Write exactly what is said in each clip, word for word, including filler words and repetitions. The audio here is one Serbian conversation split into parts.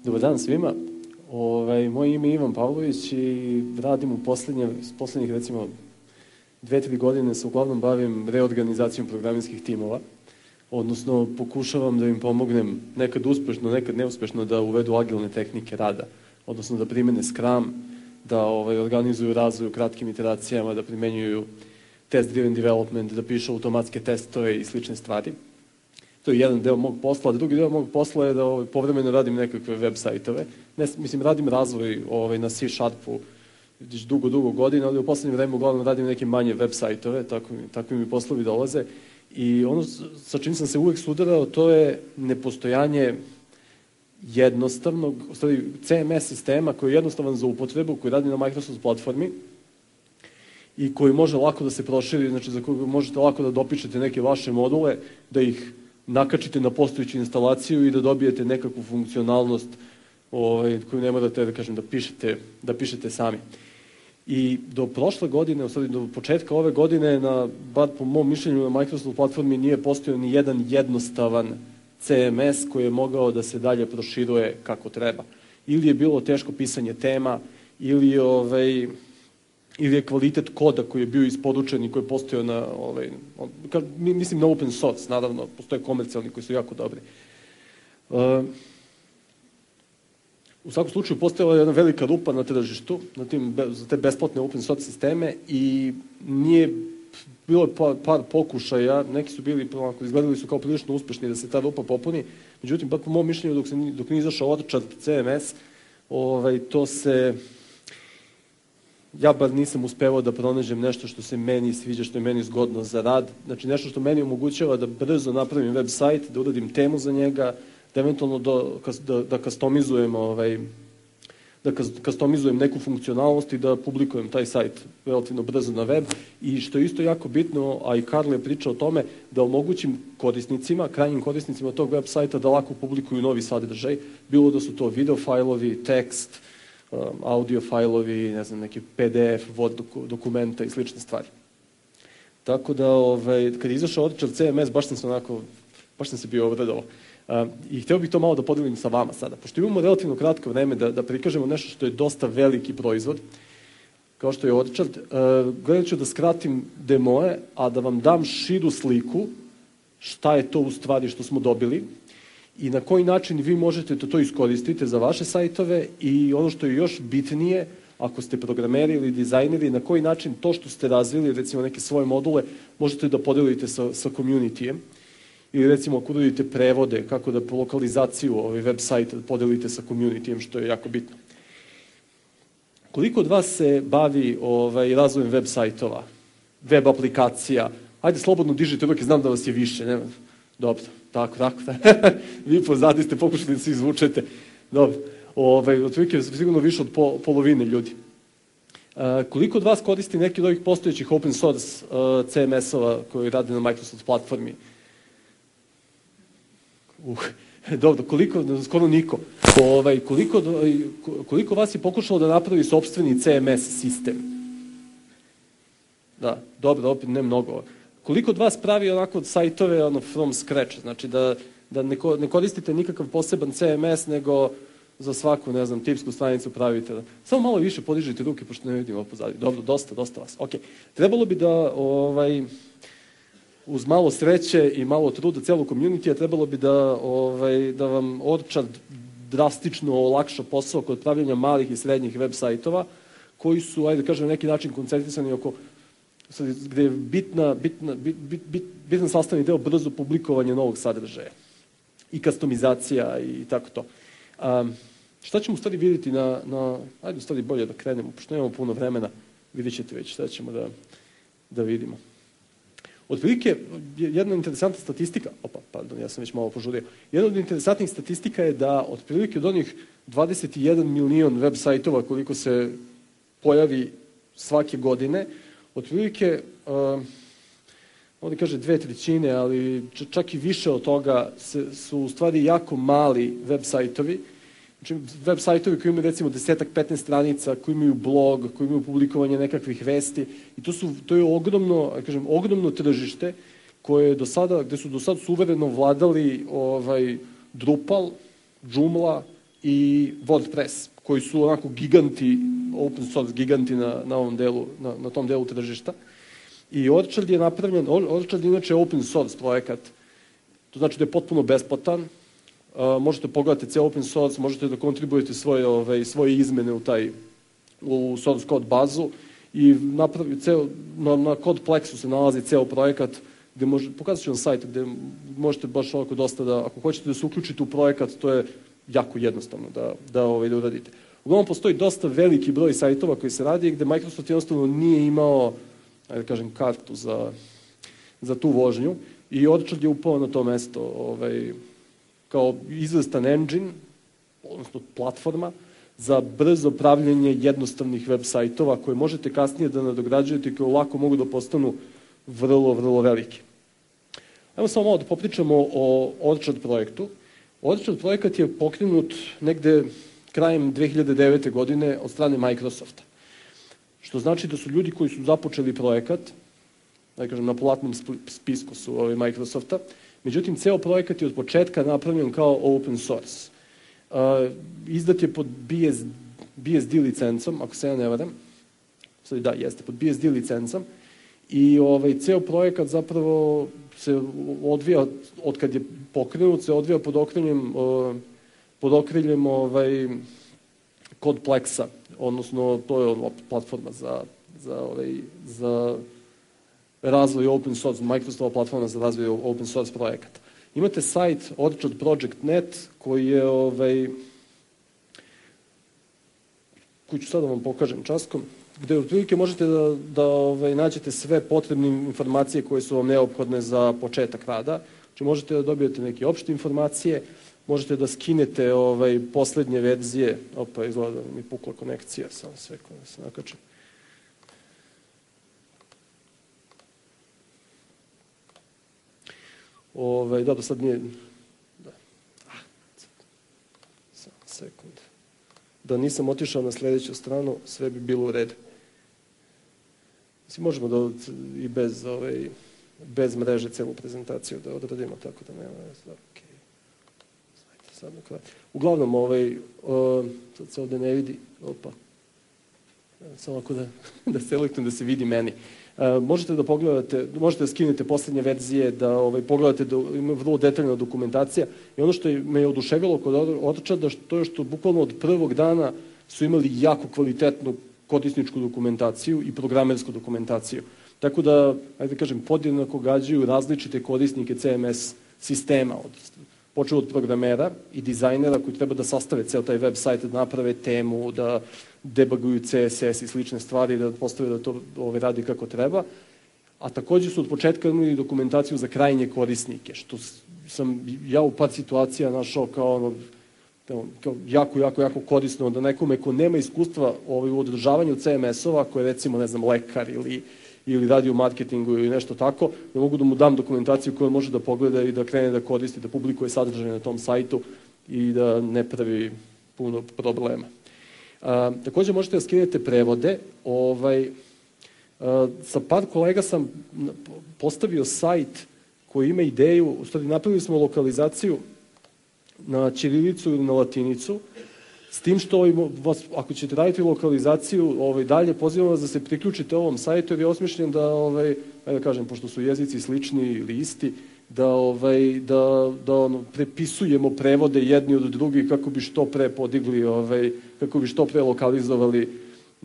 Dobar dan svima. Ovaj, moje ime je Ivan Pavlović i radim u poslednje, poslednjih recimo dve, tri godine se uglavnom bavim reorganizacijom programerskih timova, odnosno pokušavam da im pomognem nekad uspešno, nekad neuspešno da uvedu agilne tehnike rada, odnosno da primene Scrum, da ovaj, organizuju razvoj u kratkim iteracijama, da primenjuju test-driven development, da pišu automatske testove i slične stvari. To je jedan deo mog posla, a drugi deo mog posla je da ovaj, povremeno radim nekakve web sajtove. Ne, mislim, radim razvoj ovaj, na C Sharpu dugo, dugo godina, ali u poslednje vreme uglavnom radim neke manje web sajtove, tako, tako mi poslovi dolaze. I ono sa čim sam se uvek sudarao, to je nepostojanje jednostavnog, u stvari C M S sistema koji je jednostavan za upotrebu, koji radi na Microsoft platformi i koji može lako da se proširi, znači za koju možete lako da dopišete neke vaše module, da ih nakačite na postojeću instalaciju i da dobijete nekakvu funkcionalnost ovaj, koju ne morate da, kažem, da, pišete, da pišete sami. I do prošle godine, u stvari do početka ove godine, na, bar po mom mišljenju na Microsoft platformi nije postojao ni jedan jednostavan C M S koji je mogao da se dalje proširuje kako treba. Ili je bilo teško pisanje tema, ili je, ovaj, ili je kvalitet koda koji je bio isporučen i koji je postojao na, ovaj, mislim na open source, naravno, postoje komercijalni koji su jako dobri. Uh, U svakom slučaju postojala je jedna velika rupa na tržištu na tim, za te besplatne open source sisteme i nije bilo par, par pokušaja, neki su bili, izgledali su kao prilično uspešni da se ta rupa popuni, međutim, po mom mišljenju, dok, se, dok nije izašao Orchard C M S, ovaj, to se, ja bar nisam uspevao da pronađem nešto što se meni sviđa, što je meni zgodno za rad, znači nešto što meni omogućava da brzo napravim web sajt, da uradim temu za njega, da eventualno do, da, da customizujem ovaj, da customizujem neku funkcionalnost i da publikujem taj sajt relativno brzo na web i što je isto jako bitno, a i Karl je pričao o tome, da omogućim korisnicima, krajnjim korisnicima tog web sajta da lako publikuju novi sadržaj, bilo da su to video fajlovi, tekst, audio fajlovi, ne znam, neki P D F, Word dokumenta i slične stvari. Tako da, ovaj, kad je izašao Orchard C M S, baš sam se onako, baš sam se bio obradovao. Uh, I hteo bih to malo da podelim sa vama sada. Pošto imamo relativno kratko vreme da, da prikažemo nešto što je dosta veliki proizvod, kao što je Orchard, uh, gledat ću da skratim demoje, a da vam dam širu sliku šta je to u stvari što smo dobili i na koji način vi možete to, to iskoristiti za vaše sajtove i ono što je još bitnije, ako ste programeri ili dizajneri, na koji način to što ste razvili, recimo neke svoje module, možete da podelite sa, sa communityjem. Ili recimo ako uradite prevode, kako da po lokalizaciju ovaj web sajta podelite sa communityjem, što je jako bitno. Koliko od vas se bavi ovaj, razvojem web sajtova, web aplikacija? Ajde, slobodno dižite ruke, znam da vas je više. Ne? Dobro, tako, tako. Vi pozadi ste pokušali da se izvučete. Dobro, ovaj, otprilike sigurno više od po, polovine ljudi. Uh, koliko od vas koristi neki od ovih postojećih open source uh, C M S-ova koji rade na Microsoft platformi? Uh, dobro, koliko, skoro niko. Ovaj, koliko, koliko vas je pokušalo da napravi sopstveni C M S sistem? Da, dobro, opet ne mnogo. Koliko od vas pravi onako sajtove ono, from scratch, znači da, da ne, ne koristite nikakav poseban C M S, nego za svaku, ne znam, tipsku stranicu pravite. Samo malo više podižite ruke, pošto ne vidim ovo pozadnje. Dobro, dosta, dosta vas. Ok, trebalo bi da... Ovaj, uz malo sreće i malo truda celog community-a trebalo bi da, ovaj, da vam Orchard drastično olakša posao kod pravljanja malih i srednjih web sajtova, koji su, ajde da kažem, na neki način koncentrisani oko, gde je bitna, bitna, bit, bit, bit, bitan sastavni deo brzo publikovanje novog sadržaja i customizacija i tako to. Um, šta ćemo u stvari vidjeti na, na, ajde u stvari bolje da krenemo, pošto nemamo puno vremena, vidjet ćete već šta ćemo da, da vidimo. Otprilike, jedna interesantna statistika, opa, pardon, ja sam već malo požurio, jedna od interesantnih statistika je da otprilike od onih dvadeset jedan milion web sajtova koliko se pojavi svake godine, otprilike, uh, ovdje kaže dve trećine, ali čak i više od toga se, su u stvari jako mali web sajtovi. Znači, web sajtovi koji imaju recimo desetak, petnaest stranica, koji imaju blog, koji imaju publikovanje nekakvih vesti i to, su, to je ogromno, kažem, ogromno tržište koje do sada, gde su do sada suvereno vladali ovaj, Drupal, Joomla i WordPress, koji su onako giganti, open source giganti na, na, ovom delu, na, na tom delu tržišta. I Orchard je napravljen, Orchard je inače open source projekat, to znači da je potpuno besplatan, uh, možete pogledati ceo open source, možete da kontribujete svoje, ove, svoje izmene u taj, u source code bazu i napravi ceo, na, na CodePlexu se nalazi ceo projekat, gde može, pokazat ću vam sajt gde možete baš ovako dosta da, ako hoćete da se uključite u projekat, to je jako jednostavno da, da, ovaj, da uradite. Uglavnom postoji dosta veliki broj sajtova koji se radi gde Microsoft jednostavno nije imao, ajde da kažem, kartu za, za tu vožnju i Orchard je upao na to mesto ovaj, kao izvestan engine, odnosno platforma, za brzo pravljenje jednostavnih web sajtova koje možete kasnije da nadograđujete i koje lako mogu da postanu vrlo, vrlo veliki. Ajmo samo malo da popričamo o Orchard projektu. Orchard projekat je pokrenut negde krajem dve hiljade devete. godine od strane Microsofta. Što znači da su ljudi koji su započeli projekat, da kažem, na platnom spisku su ovi Microsofta, međutim, ceo projekat je od početka napravljen kao open source. Uh, izdat je pod B S, B S D licencom, ako se ja ne varam. Sada da, jeste, pod B S D licencom. I ovaj, ceo projekat zapravo se odvija, od kad je pokrenut, se odvija pod okriljem, uh, pod okriljem ovaj, CodePlexa, odnosno to je platforma za, za, ovaj, za razvoj open source, Microsoftova platforma za razvoj open source projekata. Imate sajt orchard project dot net koji je, ovaj, koji ću sad da vam pokažem časkom, gde otprilike možete da, da ovaj, nađete sve potrebne informacije koje su vam neophodne za početak rada. Znači možete da dobijete neke opšte informacije, možete da skinete ovaj, poslednje verzije. Opa, izgleda da mi pukla konekcija, samo sve koje da se nakačem. Ovaj, da, do sad nije... Da. Ah, samo sekund. Da nisam otišao na sledeću stranu, sve bi bilo u redu. Mislim, možemo da i bez, ovaj, bez mreže celu prezentaciju da odradimo, tako da nema... Okay. Sad na kraju. Uglavnom, ovaj, o, sad se ovde ne vidi, opa, samo ako da, da selektujem da se vidi meni. Uh, možete da pogledate, možete da skinete poslednje verzije, da ovaj, pogledate da ima vrlo detaljna dokumentacija i ono što je, me je oduševilo kod Orcharda, to je što bukvalno od prvog dana su imali jako kvalitetnu korisničku dokumentaciju i programersku dokumentaciju. Tako da, ajde da kažem, podjednako gađaju različite korisnike C M S sistema, od, počeo od programera i dizajnera koji treba da sastave ceo taj web sajt, da naprave temu, da debuguju C S S i slične stvari, da postave da to ovaj, radi kako treba. A takođe su od početka imali dokumentaciju za krajnje korisnike, što sam ja u par situacija našao kao, ono, kao jako, jako, jako korisno da nekome ko nema iskustva ovaj, u održavanju C M S-ova, ko je recimo, ne znam, lekar ili, ili radi u marketingu ili nešto tako, da mogu da mu dam dokumentaciju koju može da pogleda i da krene da koristi, da publikuje sadržaj na tom sajtu i da ne pravi puno problema. A, takođe možete da skinete prevode. Ovaj, a, sa par kolega sam postavio sajt koji ima ideju, u stvari napravili smo lokalizaciju na ćirilicu ili na latinicu, s tim što ovaj, vas, ako ćete raditi lokalizaciju ovaj, dalje, pozivam vas da se priključite ovom sajtu jer je osmišljen da, ovaj, ajde da kažem, pošto su jezici slični ili isti, da, ovaj, da, da ono, prepisujemo prevode jedni od drugih kako bi što pre podigli, ovaj, kako bi što pre lokalizovali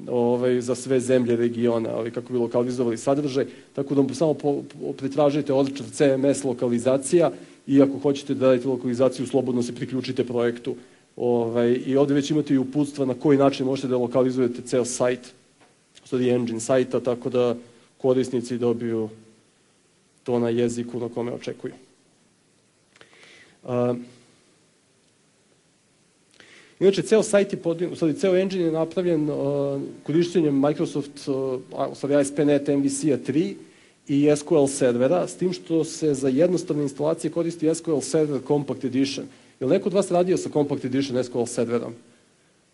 ovaj, za sve zemlje regiona, ovaj, kako bi lokalizovali sadržaj, tako da samo po, po, pretražite Orchard C M S lokalizacija i ako hoćete da radite lokalizaciju, slobodno se priključite projektu. Ovaj, I ovde već imate i uputstva na koji način možete da lokalizujete ceo sajt, stvari engine sajta, tako da korisnici dobiju to na jeziku na kome očekuju. Uh, inače, ceo sajt je podijeljen, u stvari, ceo engine je napravljen uh, korišćenjem Microsoft, uh, u stvari A S P dot net M V C-a tri i S Q L servera, s tim što se za jednostavne instalacije koristi S Q L Server Compact Edition. Je li neko od vas radio sa Compact Edition S Q L serverom?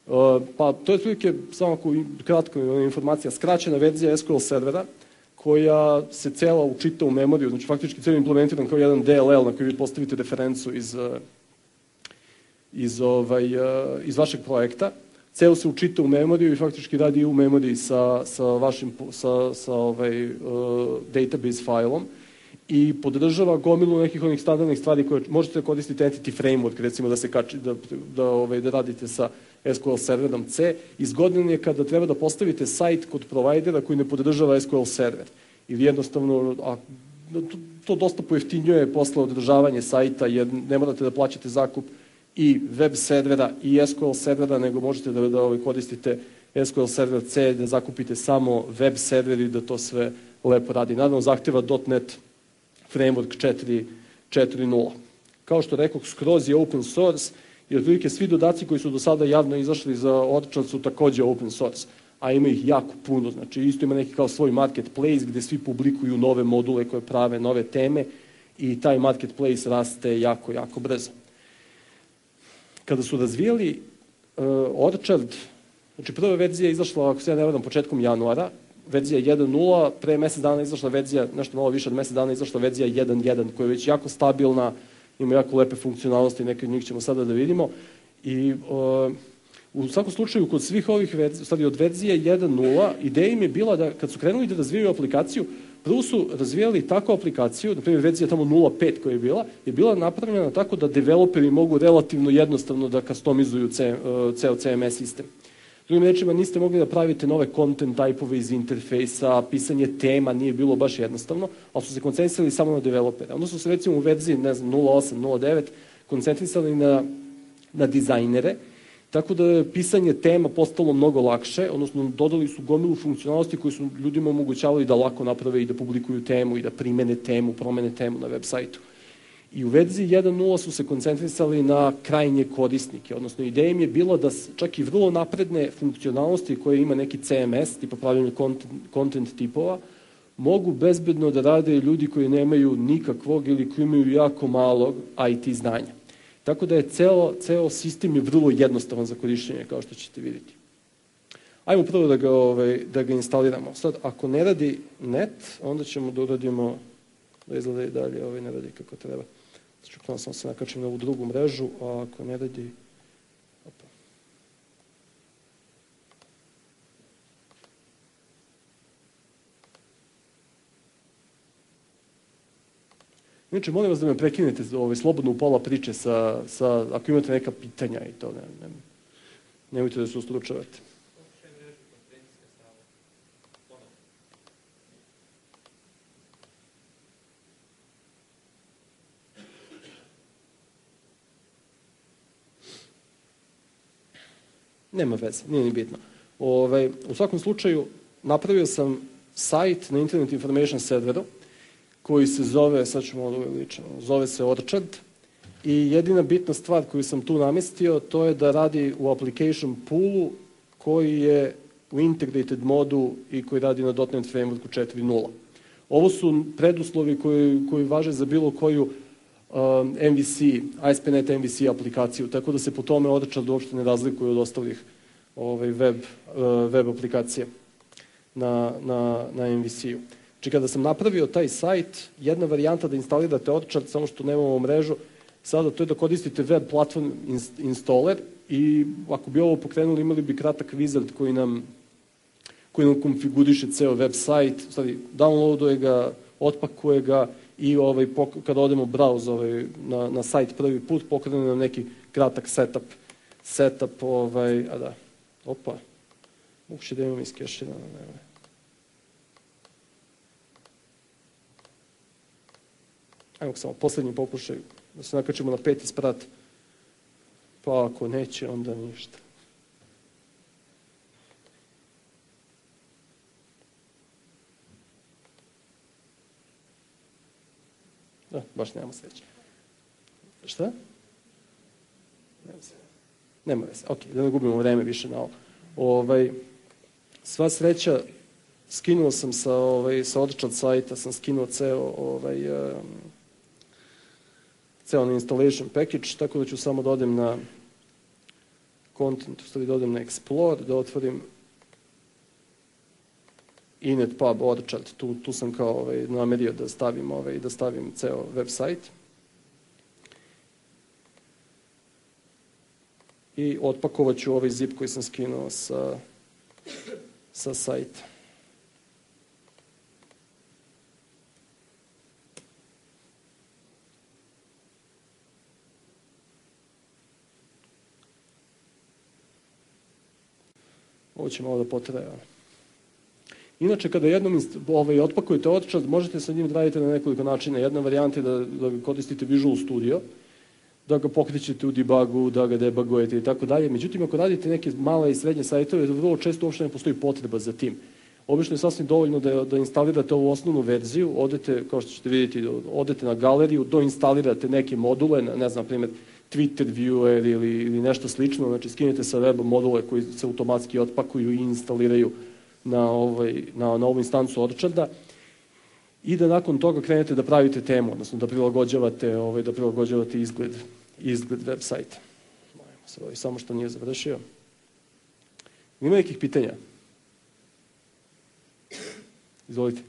Uh, pa, to je otprilike, samo ako kratko informacija, skraćena verzija S Q L servera, koja se cela učita u memoriju, znači faktički celo implementiran kao jedan D L L na koji vi postavite referencu iz, iz, ovaj, iz vašeg projekta, ceo se učita u memoriju i faktički radi u memoriji sa, sa vašim sa, sa ovaj, uh, database failom i podržava gomilu nekih onih standardnih stvari koje možete koristiti entity framework, recimo da se kači, da, da, ovaj, da radite sa S Q L serverom C. I zgodan je kada treba da postavite sajt kod provajdera koji ne podržava S Q L server. Ili jednostavno, a, to, to dosta pojeftinjuje posle održavanje sajta, jer ne morate da plaćate zakup i web servera i S Q L servera, nego možete da, da ovaj, koristite S Q L server C, da zakupite samo web server i da to sve lepo radi. Naravno, zahteva .NET Framework četiri nula. Kao što rekoh, skroz je open source i otprilike svi dodaci koji su do sada javno izašli za Orchard su takođe open source, a ima ih jako puno. Znači, isto ima neki kao svoj marketplace gde svi publikuju nove module koje prave nove teme i taj marketplace raste jako, jako brzo. Kada su razvijali uh, Orchard, znači prva verzija je izašla, ako se ja ne varam, početkom januara, verzija jedan nula, pre mesec dana izašla verzija, nešto malo više od mesec dana izašla verzija jedan jedan, koja je već jako stabilna, ima jako lepe funkcionalnosti, neke od njih ćemo sada da vidimo. I uh, u svakom slučaju, kod svih ovih verzija, stvari od verzije jedan nula, ideja im je bila da, kad su krenuli da razvijaju aplikaciju, prvo su razvijali takvu aplikaciju, na primjer verzija tamo nula pet koja je bila, je bila napravljena tako da developeri mogu relativno jednostavno da customizuju ceo C M S sistem. Drugim rečima, niste mogli da pravite nove content type-ove iz interfejsa, pisanje tema nije bilo baš jednostavno, ali su se koncentrisali samo na developere. Onda su se recimo u verziji, ne znam, nula osam, nula devet koncentrisali na, na dizajnere, tako da je pisanje tema postalo mnogo lakše, odnosno dodali su gomilu funkcionalnosti koje su ljudima omogućavali da lako naprave i da publikuju temu i da primene temu, promene temu na web sajtu. I u verziji jedan nula su se koncentrisali na krajnje korisnike, odnosno ideja im je bilo da čak i vrlo napredne funkcionalnosti koje ima neki C M S, tipa pravljanje content, content tipova, mogu bezbedno da rade ljudi koji nemaju nikakvog ili koji imaju jako malog I T znanja. Tako da je ceo, ceo sistem je vrlo jednostavan za korišćenje, kao što ćete vidjeti. Ajmo prvo da ga, ovaj, da ga instaliramo. Sad, ako ne radi net, onda ćemo da uradimo da izgleda i dalje, ovaj ne radi kako treba. Čekam sam se nakačim na ovu drugu mrežu, a ako ne radi... Opa. Inače, molim vas da me prekinete ovaj, slobodno u pola priče sa, sa, ako imate neka pitanja i to, ne, ne, nemojte da se ustručavate. Nema veze, nije ni bitno. Ove, u svakom slučaju, napravio sam sajt na Internet Information serveru, koji se zove, sad ću malo uveličano, zove se Orchard, i jedina bitna stvar koju sam tu namestio, to je da radi u application poolu koji je u integrated modu i koji radi na .NET Frameworku četiri nula. Ovo su preduslovi koji, koji važe za bilo koju Um, M V C, A S P dot net M V C aplikaciju, tako da se po tome Orchard uopšte ne razlikuje od ostalih ovaj, web, uh, web aplikacija na, na, na M V C-u. Znači, kada sam napravio taj sajt, jedna varijanta da instalirate Orchard, samo što nemamo mrežu, sada to je da koristite web platform installer i ako bi ovo pokrenuli, imali bi kratak wizard koji nam, koji nam konfiguriše ceo web sajt, stvari, downloaduje ga, otpakuje ga, i ovaj, kada odemo browse ovaj, na, na sajt prvi put, pokrene nam neki kratak setup, setup, ovaj, a da, opa, moguće da imam iskešina, ne, ajmo samo poslednji pokušaj, da se nakačimo na peti sprat, pa ako neće, onda ništa. Da, baš nemamo sreće. Šta? Nema se. Nema veze. Ok, da ne gubimo vreme više na ovo. Ovaj, sva sreća, skinuo sam sa, ovaj, sa Orchard sajta, sam skinuo ceo, ovaj, um, ceo na installation package, tako da ću samo da odem na content, u stvari da odem na Explore, da otvorim inetpub Orchard, tu, tu sam kao ovaj, namerio da stavim, ovaj, da stavim ceo web sajt. i otpakovat ću ovaj zip koji sam skinuo sa, sa sajta. Ovo će malo da potraje. Inače, kada jednom ovaj, otpakujete Orchard, možete sa njim da radite na nekoliko načina. Jedna varijanta je da, da ga koristite Visual Studio, da ga pokrećete u debugu, da ga debugujete i tako dalje. Međutim, ako radite neke male i srednje sajtove, vrlo često uopšte ne postoji potreba za tim. Obično je sasvim dovoljno da, da instalirate ovu osnovnu verziju, odete, kao što ćete vidjeti, odete na galeriju, doinstalirate neke module, ne znam, na primjer, Twitter Viewer ili, ili nešto slično, znači skinete sa weba module koji se automatski otpakuju i instaliraju na, ovaj, na, na ovu instancu Orcharda i da nakon toga krenete da pravite temu, odnosno da prilagođavate, ovaj, da prilagođavate izgled, izgled web sajta. Samo što nije završio. Ima nekih pitanja? Izvolite.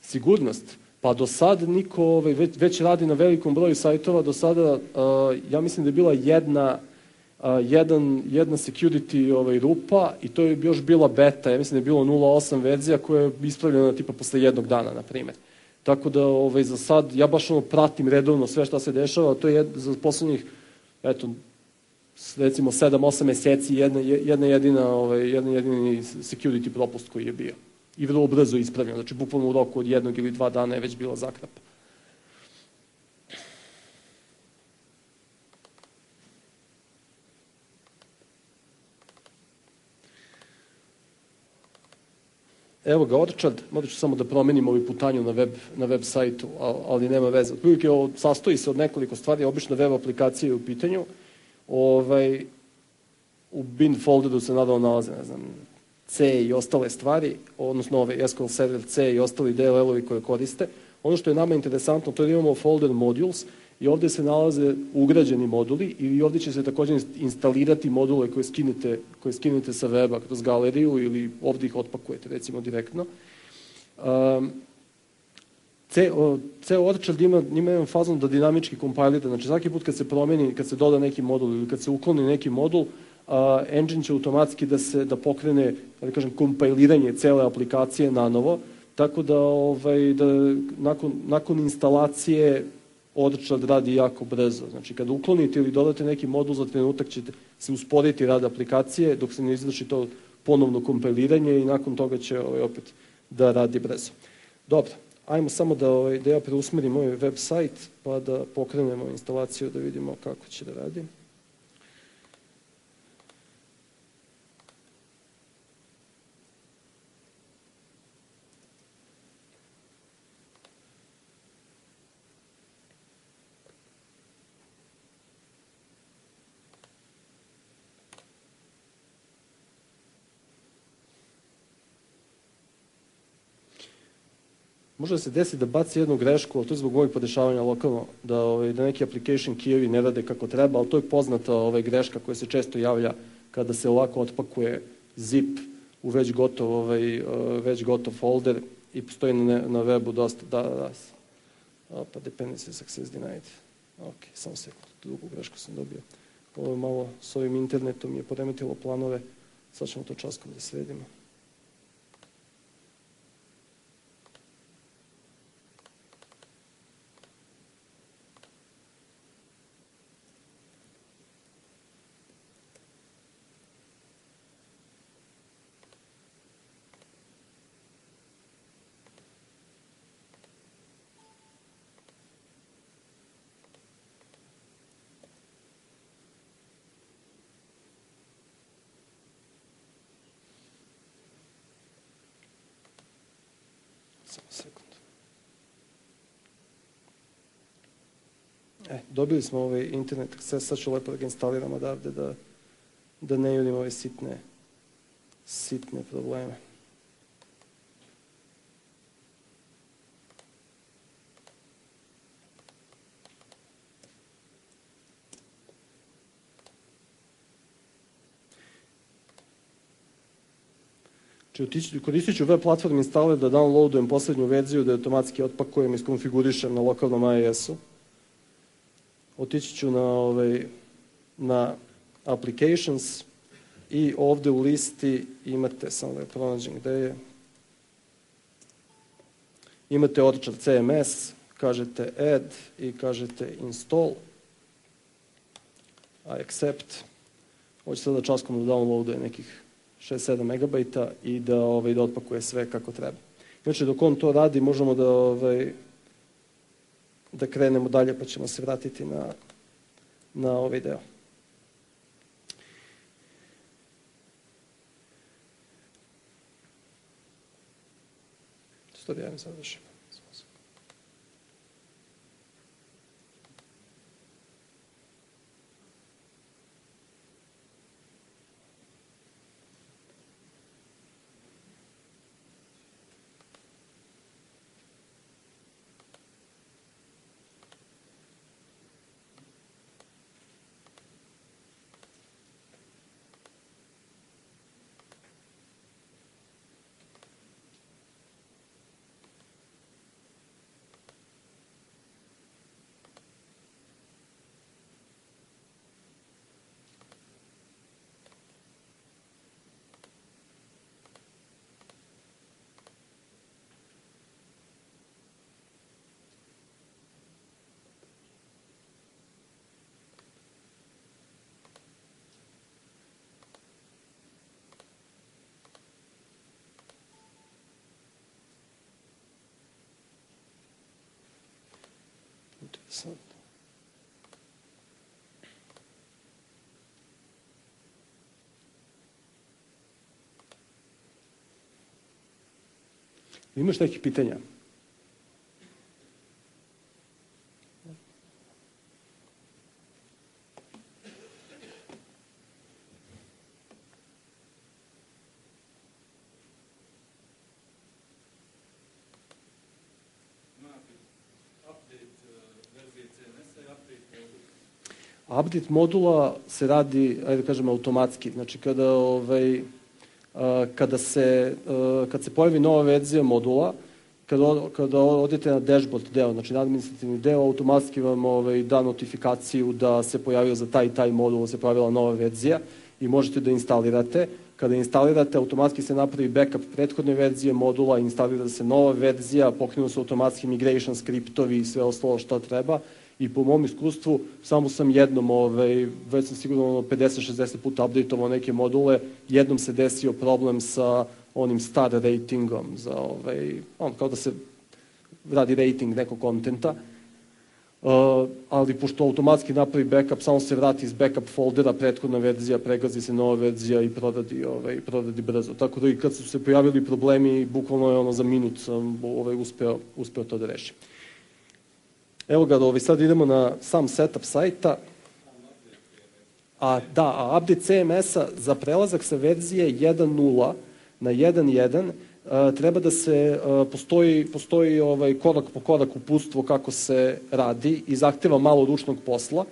Sigurnost. Pa do sad niko ovaj, već, već radi na velikom broju sajtova, do sada uh, ja mislim da je bila jedna, uh, jedan, jedna security ovaj, rupa i to je još bila beta, ja mislim da je bilo nula osam verzija koja je ispravljena tipa posle jednog dana, na primjer. Tako da ovaj, za sad ja baš ono pratim redovno sve šta se dešava, to je jed, za poslednjih, eto, recimo sedam osam meseci jedna, jedna jedina, ovaj, jedan jedini security propust koji je bio. I vrlo brzo ispravljeno, znači bukvalno u roku od jednog ili dva dana je već bila zakrapa. Evo ga Orchard, morat ću samo da promenim ovu putanju na web, na web sajtu, ali nema veze. Otprilike sastoji se od nekoliko stvari, obično web aplikacije u pitanju. Ovaj, u bin folderu se nadal nalaze, ne znam, C i ostale stvari, odnosno ove S Q L Server C i ostali D L L-ovi koje koriste. Ono što je nama interesantno, to je da imamo folder modules i ovde se nalaze ugrađeni moduli i ovde će se također instalirati module koje skinete, koje skinete sa weba kroz galeriju ili ovde ih otpakujete, recimo direktno. Um, ceo Orchard ima, ima jedan fazon da dinamički kompilira, znači svaki put kad se promeni, kad se doda neki modul ili kad se ukloni neki modul, Uh, engine će automatski da se da pokrene, da kažem, kompiliranje cele aplikacije na novo, tako da, ovaj, da nakon, nakon instalacije Orchard radi jako brzo. Znači, kada uklonite ili dodate neki modul, za trenutak ćete se usporiti rad aplikacije dok se ne izvrši to ponovno kompiliranje i nakon toga će ovaj, opet da radi brzo. Dobro, ajmo samo da, ovaj, da ja preusmerim moj web sajt pa da pokrenemo instalaciju da vidimo kako će da radi. Može da se desi da baci jednu grešku, ali to je zbog ovih podešavanja lokalno, da, ovaj, da neki application keyevi ne rade kako treba, ali to je poznata ovaj, greška koja se često javlja kada se ovako otpakuje zip u već gotov, ovaj, već gotov folder i postoji na, na webu dosta da, da, opa, dependency success denied. Ok, samo sekund, drugu grešku sam dobio. Ovo je malo s ovim internetom je poremetilo planove, sad ćemo to časkom da sredimo. Sekund. E, dobili smo ovaj internet access, sad ću lepo da ga instaliram odavde da, da ne jurim ove sitne, sitne probleme. Koristit ću web platform installer da downloadujem poslednju verziju, da je automatski otpakujem i skonfigurišem na lokalnom I I S-u. Otići ću na ovaj, na Applications i ovde u listi imate, samo da je pronađem gde je, imate Orchard C M S, kažete Add i kažete Install, I accept. Hoće sada časkom da downloaduje nekih šest sedam megabajta i da, ovaj, da otpakuje sve kako treba. Znači, dok on to radi, možemo da, ovaj, da krenemo dalje, pa ćemo se vratiti na, na ovaj deo. Što da javim sad više? Interesantno. Imaš nekih pitanja? Update modula se radi, ajde da kažem, automatski. Znači, kada, ovaj, kada, se, kad se pojavi nova verzija modula, kada, kada odete na dashboard deo, znači na administrativni deo, automatski vam ovaj, da notifikaciju da se pojavio za taj i taj modul, da se pojavila nova verzija i možete da instalirate. Kada instalirate, automatski se napravi backup prethodne verzije modula, instalira se nova verzija, pokrenu se automatski migration skriptovi i sve ostalo što treba. I po mom iskustvu, samo sam jednom, ovaj, već sam sigurno pedeset šezdeset puta updateovao neke module, jednom se desio problem sa onim star ratingom, za, ovaj, on, kao da se radi rating nekog kontenta, uh, ali pošto automatski napravi backup, samo se vrati iz backup foldera, prethodna verzija, pregazi se nova verzija i proradi, ovaj, proradi brzo. Tako da i kad su se pojavili problemi, bukvalno je ono za minut sam ovaj, uspeo, uspeo to da rešim. Evo ga, ovaj, sad idemo na sam setup sajta. A, da, a update C M S-a za prelazak sa verzije jedan nula na jedan jedan uh, treba da se, uh, postoji, postoji ovaj, korak po korak uputstvo kako se radi i zahteva malo ručnog posla.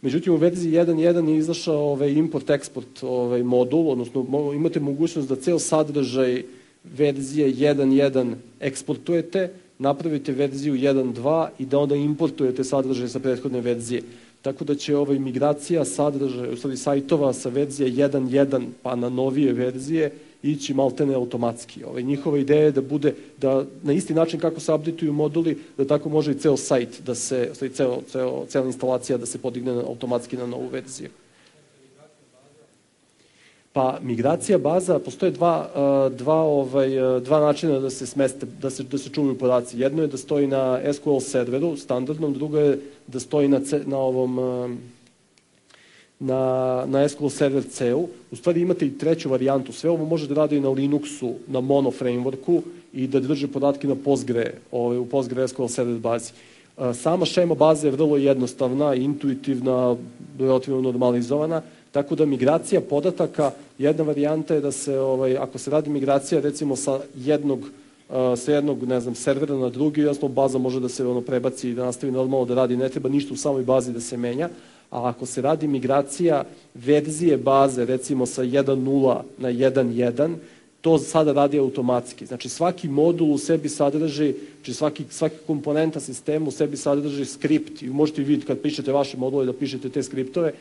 Međutim, u verziji jedan jedan je izašao ovaj, import-export ovaj, modul, odnosno imate mogućnost da ceo sadržaj verzije jedan jedan eksportujete, napravite verziju jedan dva i da onda importujete sadržaj sa prethodne verzije. Tako da će ovaj migracija sadržaja, u stvari sajtova sa verzije jedan jedan pa na novije verzije ići maltene automatski. Ovaj, njihova ideja je da bude, da na isti način kako se updateuju moduli, da tako može i ceo sajt, da se, u stvari ceo, ceo, cela instalacija da se podigne automatski na novu verziju. Pa migracija baza, postoje dva, dva, ovaj, dva načina da se smeste, da se, da se čuvaju podaci. Jedno je da stoji na S Q L serveru, standardnom, drugo je da stoji na, na ovom, na, na S Q L server C-u. U stvari imate i treću varijantu. Sve ovo može da radi na Linuxu, na Mono frameworku i da drže podatke na Postgre, ovaj, u Postgre S Q L server bazi. Sama šema baze je vrlo jednostavna, intuitivna, relativno normalizovana, tako da migracija podataka, jedna varijanta je da se, ovaj, ako se radi migracija recimo sa jednog, uh, sa jednog ne znam, servera na drugi, jasno baza može da se ono, prebaci i da nastavi normalno da radi, ne treba ništa u samoj bazi da se menja, a ako se radi migracija verzije baze recimo sa jedan nula na jedan jedan, to sada radi automatski. Znači svaki modul u sebi sadrži, znači svaki, svaki komponenta sistema u sebi sadrži skript i možete vidjeti kad pišete vaše module da pišete te skriptove,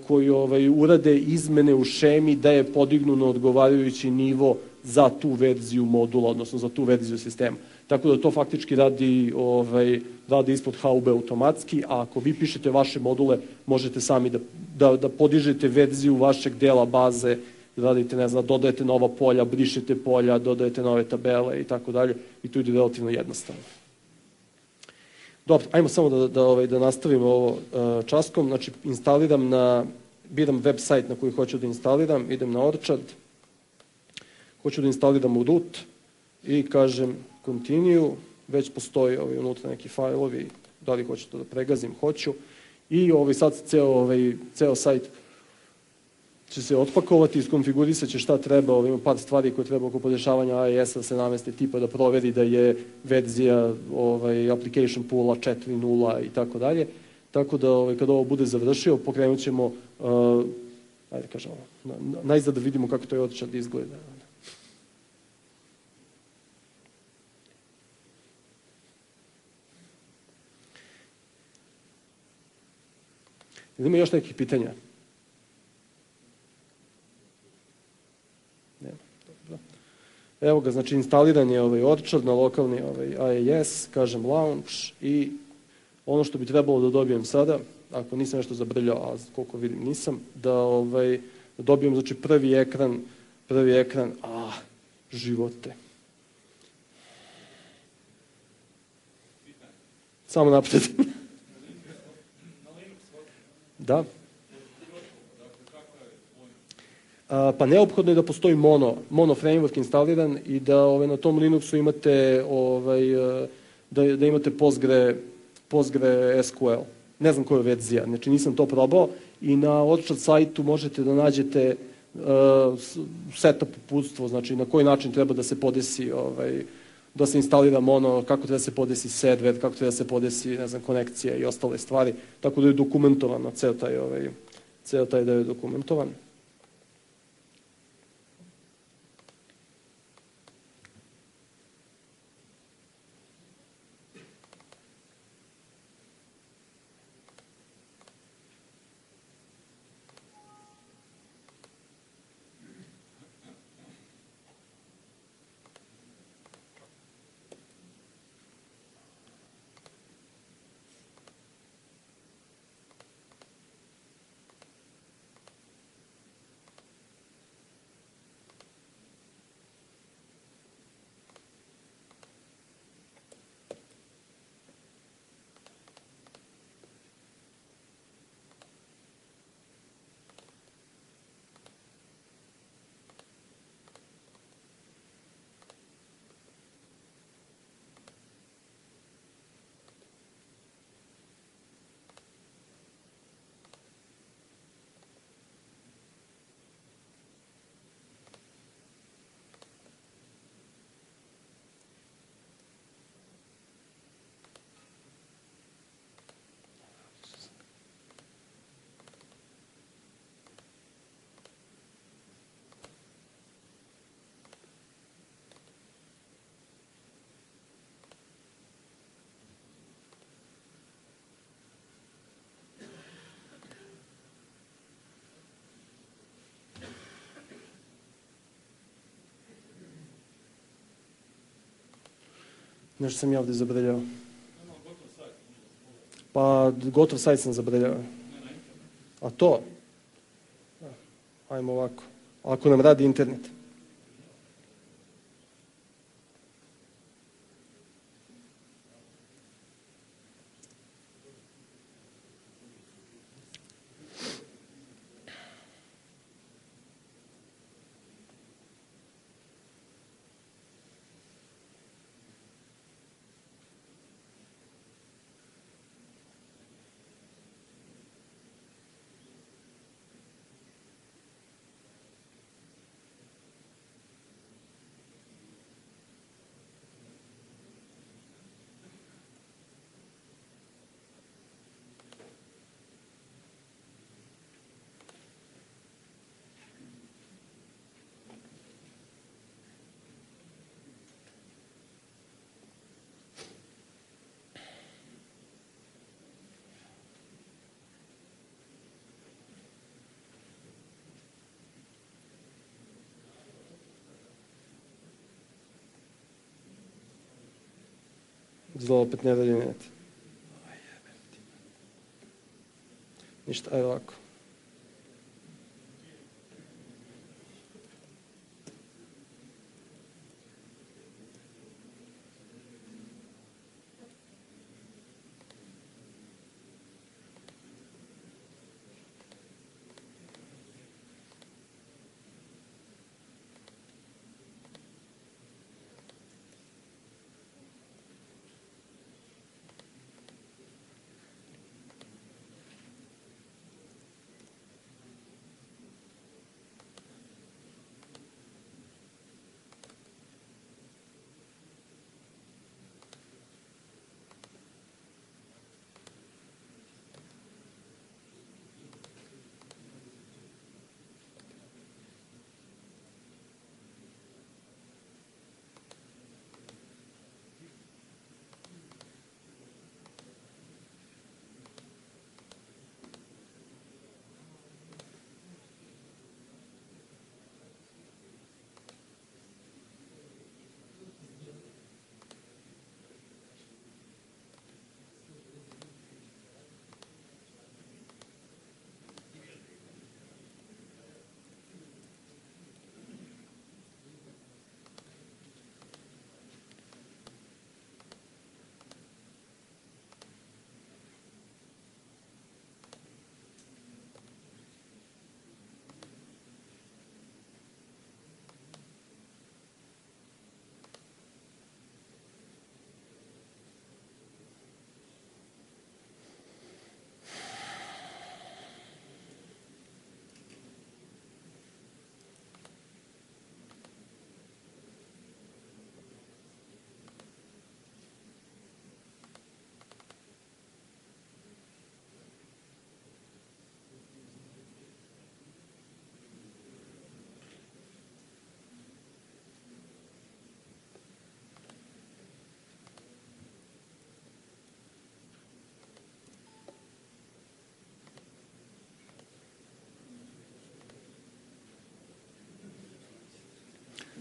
koji ovaj, urade izmene u šemi da je podignu na odgovarajući nivo za tu verziju modula, odnosno za tu verziju sistema. Tako da to faktički radi, ovaj, radi ispod haube automatski, a ako vi pišete vaše module, možete sami da, da, da podižete verziju vašeg dela baze, radite, ne znam, dodajete nova polja, brišete polja, dodajete nove tabele i tako dalje, i to ide relativno jednostavno. Dobro, ajmo samo da, da, ovaj, da nastavimo ovo uh, časkom. Znači, instaliram na, biram web sajt na koji hoću da instaliram, idem na Orchard, hoću da instaliram u root i kažem continue, već postoji ovaj, unutra neki fajlovi, da li hoću to da pregazim, hoću, i ovaj, sad ceo, ovaj, ceo sajt će se otpakovati, iskonfigurisat će šta treba, ovaj, ima par stvari koje treba oko podešavanja A E S-a sedamnaest tipa da proveri da je verzija ovaj, application poola četiri nula i tako dalje. Tako da ovaj, kada ovo bude završio, pokrenut ćemo, uh, ajde kažemo, na, na, najzad da vidimo kako to je Orchard izgleda. Ima još nekih pitanja? Nema. Dobro. Evo ga, znači instaliran je ovaj Orchard na lokalni ovaj A E S, kažem launch, i ono što bi trebalo da dobijem sada, ako nisam nešto zabrljao, a koliko vidim nisam, da ovaj, dobijem znači prvi ekran, prvi ekran, a, živote. Samo napred. Da. A, pa neophodno je da postoji mono, mono framework instaliran i da ovaj, na tom Linuxu imate, ovaj, da, da imate Postgre, Postgre S Q L. Ne znam koja je verzija, znači nisam to probao, i na Orchard sajtu možete da nađete uh, setup uputstvo, znači na koji način treba da se podesi, ovaj, da se instalira mono, kako treba da se podesi server, kako treba da se podesi, ne znam, konekcija i ostale stvari, tako da je dokumentovano, ceo taj, ovaj, ceo taj da je dokumentovan. Nešto sam ja ovde zabrljao. Pa, gotov sajt sam zabrljao. A to? Ajmo ovako. Ako nam radi internet. Izgleda opet ne radi net. Ništa, ajde ovako.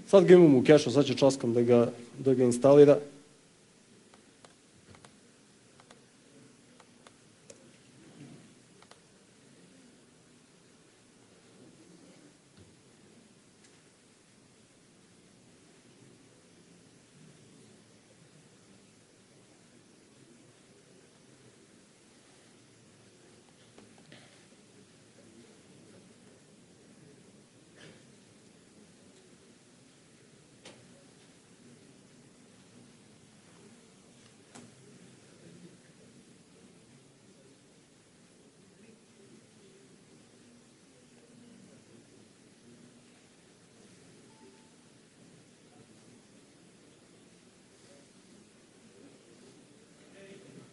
Sad ga imamo u kešu, sad će čoskam da ga, da ga instalira.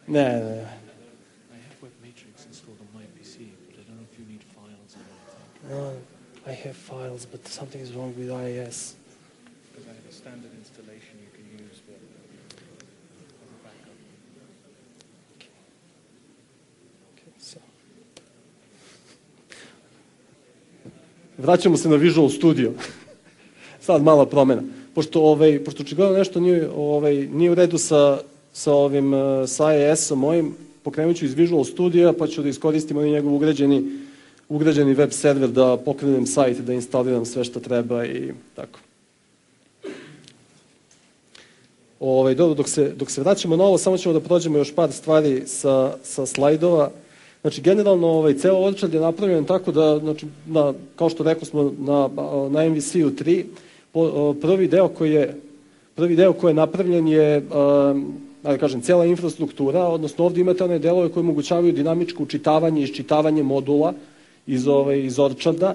Ne, ne, ne. I have WebMatrix installed on my P C, but I don't know if you need files or anything. No, I have files, but something is wrong with I I S. Because I have a standard installation you can use for as a backup. Okay. Okay, so. Vraćamo se na Visual Studio. Sad mala promena. Pošto, ovaj, pošto očigledno nešto nije, ovaj, nije u redu sa, sa, ovim, sa I I S-om mojim, pokrenut ću iz Visual Studio, pa ću da iskoristim onaj njegov ugrađeni, ugrađeni web server da pokrenem sajt, da instaliram sve što treba i tako. Ovaj, dobro, dok se, dok se vraćamo na ovo, samo ćemo da prođemo još par stvari sa, sa slajdova. Znači, generalno, ovaj, ceo odčad je napravljen tako da, znači, na, kao što rekao smo, na, na M V C-u tri, po, prvi deo koji je, prvi deo koji je napravljen je, um, da kažem, cijela infrastruktura, odnosno ovdje imate one delove koje omogućavaju dinamičko učitavanje i iščitavanje modula iz, ovaj, iz odčada.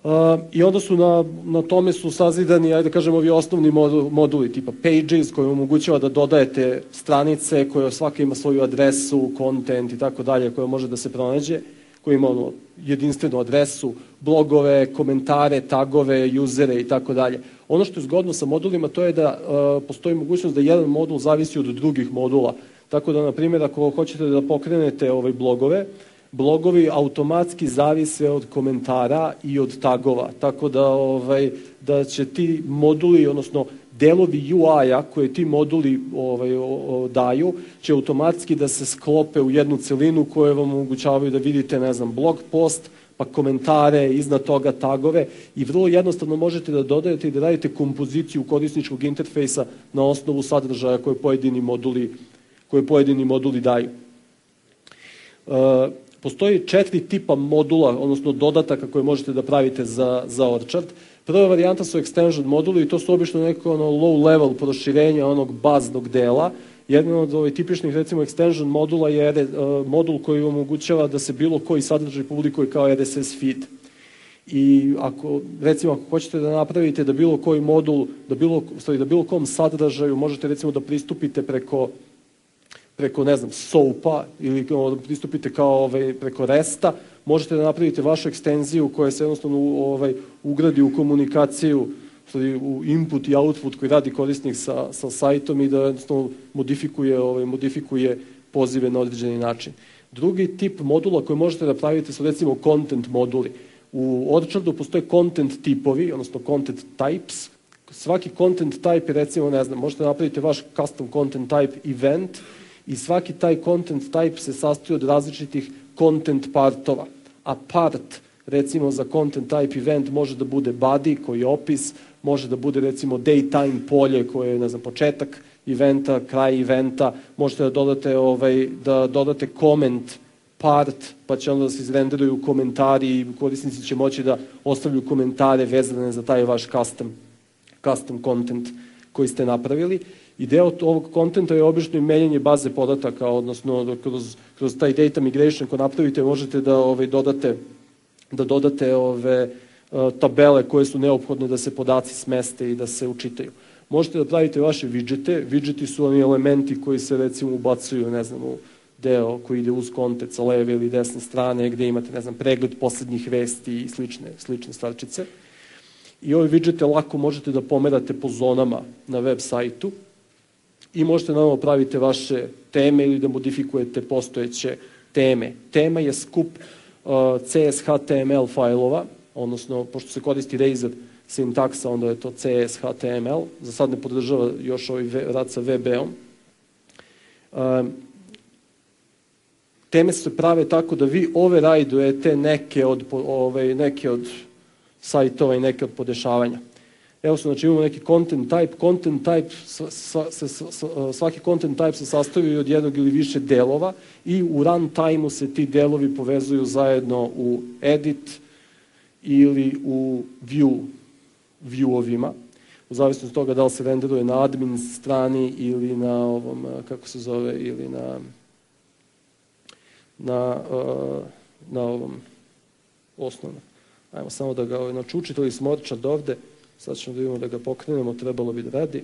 Uh, I onda su na, na tome su sazidani, ajde kažem, ovi osnovni moduli, tipa Pages, koji omogućava da dodajete stranice, koje svaka ima svoju adresu, content i tako dalje, koje može da se pronađe, koji ima ono, jedinstvenu adresu, blogove, komentare, tagove, usere i tako dalje. Ono što je zgodno sa modulima, to je da uh, postoji mogućnost da jedan modul zavisi od drugih modula. Tako da, na primjer, ako hoćete da pokrenete ovaj blogove, blogovi automatski zavise od komentara i od tagova, tako da, ovaj, da će ti moduli, odnosno delovi U I-a koje ti moduli ovaj, o, o, daju će automatski da se sklope u jednu celinu koje vam omogućavaju da vidite, ne znam, blog post, pa komentare, iznad toga tagove i vrlo jednostavno možete da dodajete i da radite kompoziciju korisničkog interfejsa na osnovu sadržaja koje pojedini moduli, koje pojedini moduli daju. Uh, postoji četiri tipa modula, odnosno dodataka koje možete da pravite za, za Orchard. Prva varijanta su extension moduli i to su obično neko ono low level proširenja onog baznog dela. Jedan od ovih tipičnih, recimo, extension modula je uh, modul koji omogućava da se bilo koji sadržaj publikuje kao R S S feed. I ako, recimo, ako hoćete da napravite da bilo koji modul, da bilo, sorry, da bilo kom sadržaju možete, recimo, da pristupite preko preko, ne znam, soapa ili da pristupite kao ovaj, preko resta, možete da napravite vašu ekstenziju koja se jednostavno ovaj, ugradi u komunikaciju, u input i output koji radi korisnik sa, sa sajtom i da jednostavno modifikuje, ovaj, modifikuje pozive na određeni način. Drugi tip modula koji možete da pravite su recimo content moduli. U Orchardu postoje content tipovi, odnosno content types. Svaki content type je, recimo, ne znam, možete da napravite vaš custom content type event i svaki taj content type se sastoji od različitih content partova. A part, recimo, za content type event može da bude body, koji je opis, može da bude, recimo, daytime polje, koje je, ne znam, početak eventa, kraj eventa, možete da dodate, ovaj, da dodate comment part, pa će onda da se izrenderuju komentari i korisnici će moći da ostavljaju komentare vezane za taj vaš custom, custom content koji ste napravili. I deo ovog kontenta je obično i menjanje baze podataka, odnosno kroz, kroz taj data migration ko napravite možete da ovaj, dodate, da dodate ove tabele koje su neophodne da se podaci smeste i da se učitaju. Možete da pravite vaše widgete. Widgeti su oni elementi koji se, recimo, ubacuju, ne znam, u deo koji ide uz kontent sa leve ili desne strane, gde imate, ne znam, pregled poslednjih vesti i slične, slične stvarčice. I ove widgete lako možete da pomerate po zonama na web sajtu i možete naravno pravite vaše teme ili da modifikujete postojeće teme. Tema je skup uh, C S H T M L fajlova, odnosno, pošto se koristi Razor sintaksa, onda je to C S H T M L. Za sad ne podržava još ovaj rad sa V B-om. Um, teme se prave tako da vi override-ujete neke od, ovaj, neke od sajtova i neke od podešavanja. Evo su, znači, imamo neki content type. Content type, svaki content type se sastoji od jednog ili više delova i u runtime-u se ti delovi povezuju zajedno u edit ili u view, view-ovima, u zavisnosti od toga da li se renderuje na admin strani ili na ovom, kako se zove, ili na na, na ovom osnovnom. Ajmo samo da ga, znači, učitali smo Orchard ovde, sad ćemo da vidimo da ga pokrenemo, trebalo bi da radi.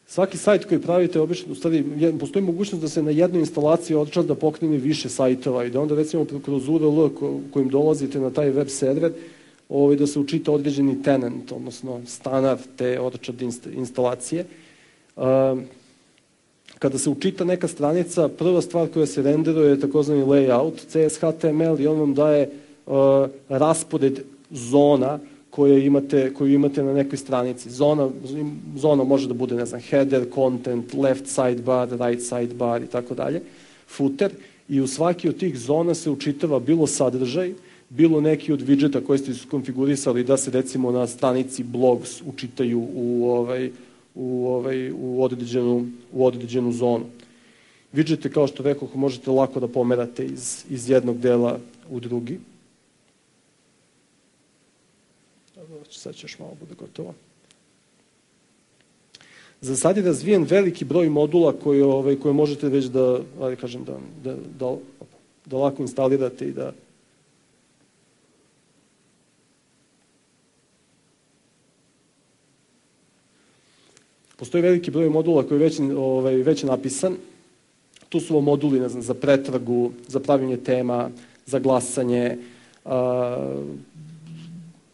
Svaki sajt koji pravite, obično, u stvari, postoji mogućnost da se na jednoj instalaciji Orcharda pokrene više sajtova i da onda, recimo, kroz U R L kojim dolazite na taj web server, ovaj, da se učita određeni tenant, odnosno standard te Orchard instalacije. Kada se učita neka stranica, prva stvar koja se renderuje je takozvani layout, C S H T M L, i on vam daje raspored zona koje imate, koju imate na nekoj stranici. Zona, zona može da bude, ne znam, header, content, left sidebar, right sidebar i tako dalje, footer, i u svaki od tih zona se učitava bilo sadržaj, bilo neki od widgeta koji ste konfigurisali da se, recimo, na stranici blogs učitaju u, ovaj, u, ovaj, u, određenu, u određenu zonu. Widgete, kao što rekoh, možete lako da pomerate iz, iz jednog dela u drugi. Sad će još malo bude gotovo. Za sad je razvijen veliki broj modula koje, ovaj, koje možete već da, ali kažem, da, da, da, da lako instalirate i da postoji veliki broj modula koji je već, ovaj, već napisan. Tu su ovo moduli, ne znam, za pretragu, za pravljenje tema, za glasanje, a,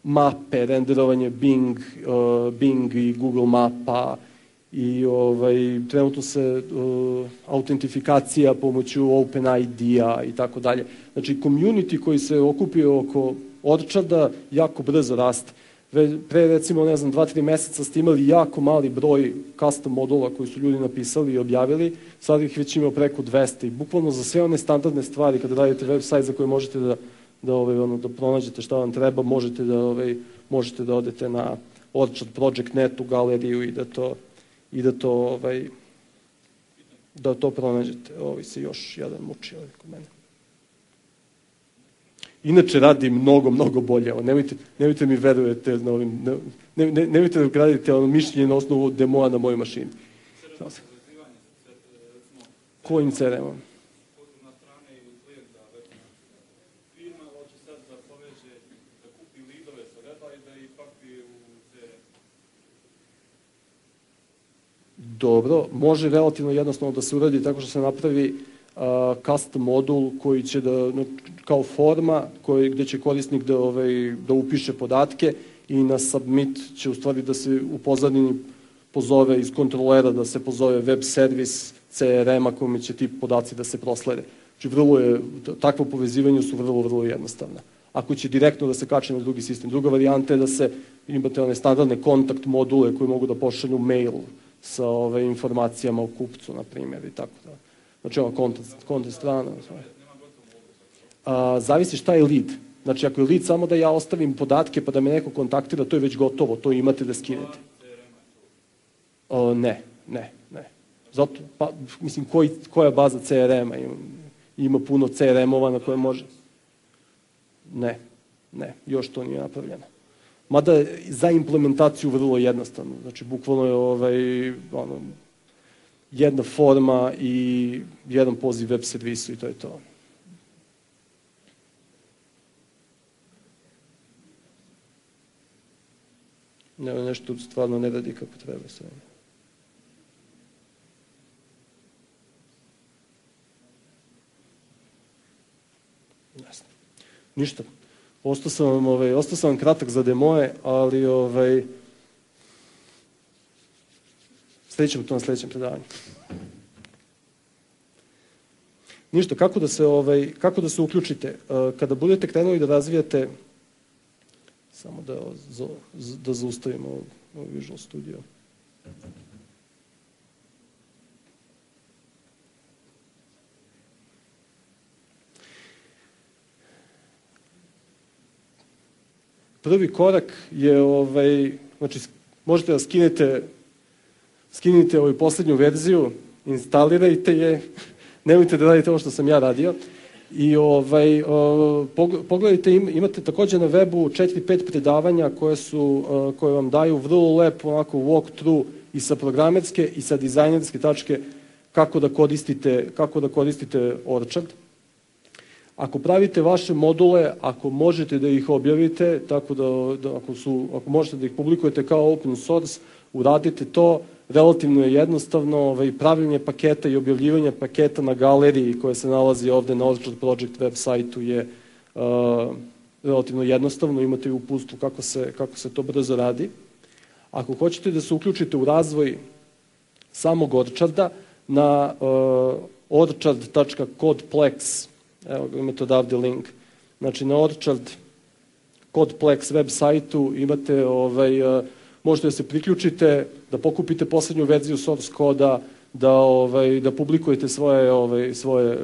mape, renderovanje Bing, uh, Bing i Google mapa i ovaj, trenutno se uh, autentifikacija pomoću OpenID-a i tako dalje. Znači, community koji se okupio oko Orcharda jako brzo raste. Pre, recimo, ne znam, dva, tri meseca ste imali jako mali broj custom modula koji su ljudi napisali i objavili, sad ih već ima preko dvesta i bukvalno za sve one standardne stvari, kada radite web sajt za koje možete da, da, ovaj, ono, da pronađete šta vam treba, možete da, ovaj, možete da odete na Orchard Project dot net u galeriju i da to, i da to, ovaj, da to pronađete. Ovo se još jedan muči ovaj kod mene. Inače radi mnogo, mnogo bolje. Nemojte, nemojte mi verujete na ovim, ne, ne, ne, nemojte da gradite ono mišljenje na osnovu demoa na mojoj mašini. Kojim C R M-om? Dobro, može relativno jednostavno da se uradi tako što se napravi Uh, custom modul koji će da, kao forma koji, gde će korisnik da, ovaj, da upiše podatke i na submit će u stvari da se u pozadini pozove iz kontrolera da se pozove web servis C R M-a kome će ti podaci da se proslede. Znači, vrlo je, takvo povezivanje su vrlo, vrlo jednostavna. Ako će direktno da se kače na drugi sistem. Druga varijanta je da se imate one standardne kontakt module koji mogu da pošalju mail sa ove, informacijama o kupcu, na primjer, i tako da. Znači, ova kontent strana. A, zavisi šta je lead. Znači, ako je lead samo da ja ostavim podatke pa da me neko kontaktira, to je već gotovo, to imate da skinete. O, ne, ne, ne. Zato, pa, mislim, koji, koja baza C R M-a? Ima, ima puno C R M-ova na koje može. Ne, ne, još to nije napravljeno. Mada za implementaciju vrlo jednostavno. Znači, bukvalno je ovaj, ono, jedna forma i jedan poziv web servisu i to je to. Ne, nešto stvarno ne radi kako treba sve. Jasno. Ništa. Ostao sam vam, ovaj, ostao sam vam kratak za demoje, ali ovaj, sledećemo to na sledećem predavanju. Ništa, kako da se, ovaj, kako da se uključite? Kada budete krenuli da razvijate, samo da, da zaustavimo ovaj Visual Studio. Prvi korak je, ovaj, znači, možete da skinete skinite ovu poslednju verziju, instalirajte je, nemojte da radite ovo što sam ja radio i ovaj, pogledajte, imate takođe na webu četiri pet predavanja koje, su, koje vam daju vrlo lep onako walkthrough i sa programerske i sa dizajnerske tačke kako da koristite, kako da koristite Orchard. Ako pravite vaše module, ako možete da ih objavite, tako da, da ako, su, ako možete da ih publikujete kao open source, uradite to. Relativno je jednostavno, ovaj, pravljenje paketa i objavljivanje paketa na galeriji koja se nalazi ovde na Orchard Project web sajtu je uh, relativno jednostavno, imate i uputstvo kako se, kako se to brzo radi. Ako hoćete da se uključite u razvoj samog Orcharda, na uh, orchard tačka codeplex, evo imate odavde link, znači na Orchard Codeplex web sajtu imate ovaj, uh, možete da se priključite, da pokupite poslednju verziju source koda, da, ovaj, da publikujete svoje, ovaj, svoje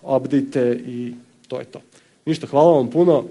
update i to je to. Ništa, hvala vam puno.